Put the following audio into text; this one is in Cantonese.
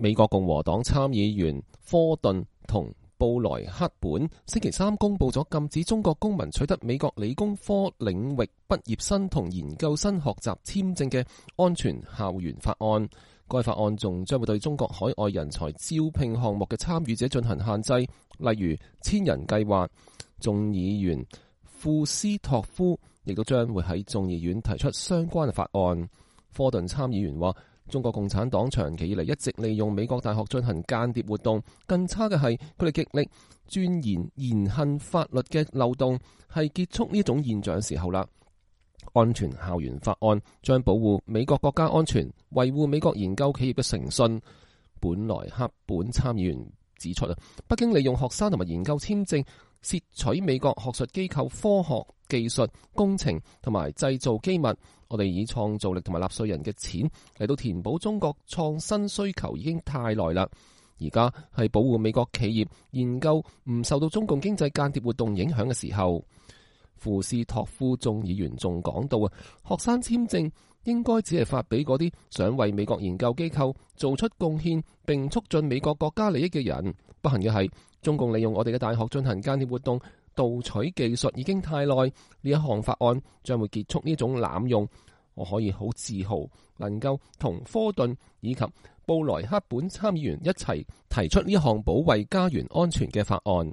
美國共和黨參議員科頓同布萊克本星期三公布咗禁止中國公民取得美國理工科領域畢業生同研究生學習簽證嘅安全校園法案。該法案仲將會對中國海外人才招聘項目嘅參與者進行限制，例如千人計劃。眾議員庫斯托夫亦都將會喺眾議院提出相關嘅法案。科頓參議員話，中國共產黨長期以嚟一直利用美國大學進行間諜活動，更差嘅係佢哋極力鑽研言行法律嘅漏洞，係結束呢種現象嘅時候啦。安全校園法案將保護美國國家安全，維護美國研究企業嘅誠信。本萊克本參議員指出，北京利用學生同埋研究簽證竊取美國學術機構科學技術工程同埋製造機密。我哋以創造力同埋納稅人嘅錢嚟到填補中國創新需求已經太耐啦，而家係保護美國企業研究唔受到中共經濟間諜活動影響嘅時候。庫斯托夫眾議員仲講到學生簽證應該只係發俾嗰啲想為美國研究機構做出貢獻並促進美國國家利益嘅人。不幸嘅係，中共利用我哋嘅大學進行間諜活動，盜取技術已經太耐。呢一項法案將會結束呢種濫用。我可以好自豪能夠同科頓以及布萊克本參議員一齊提出呢項保衛家園安全嘅法案。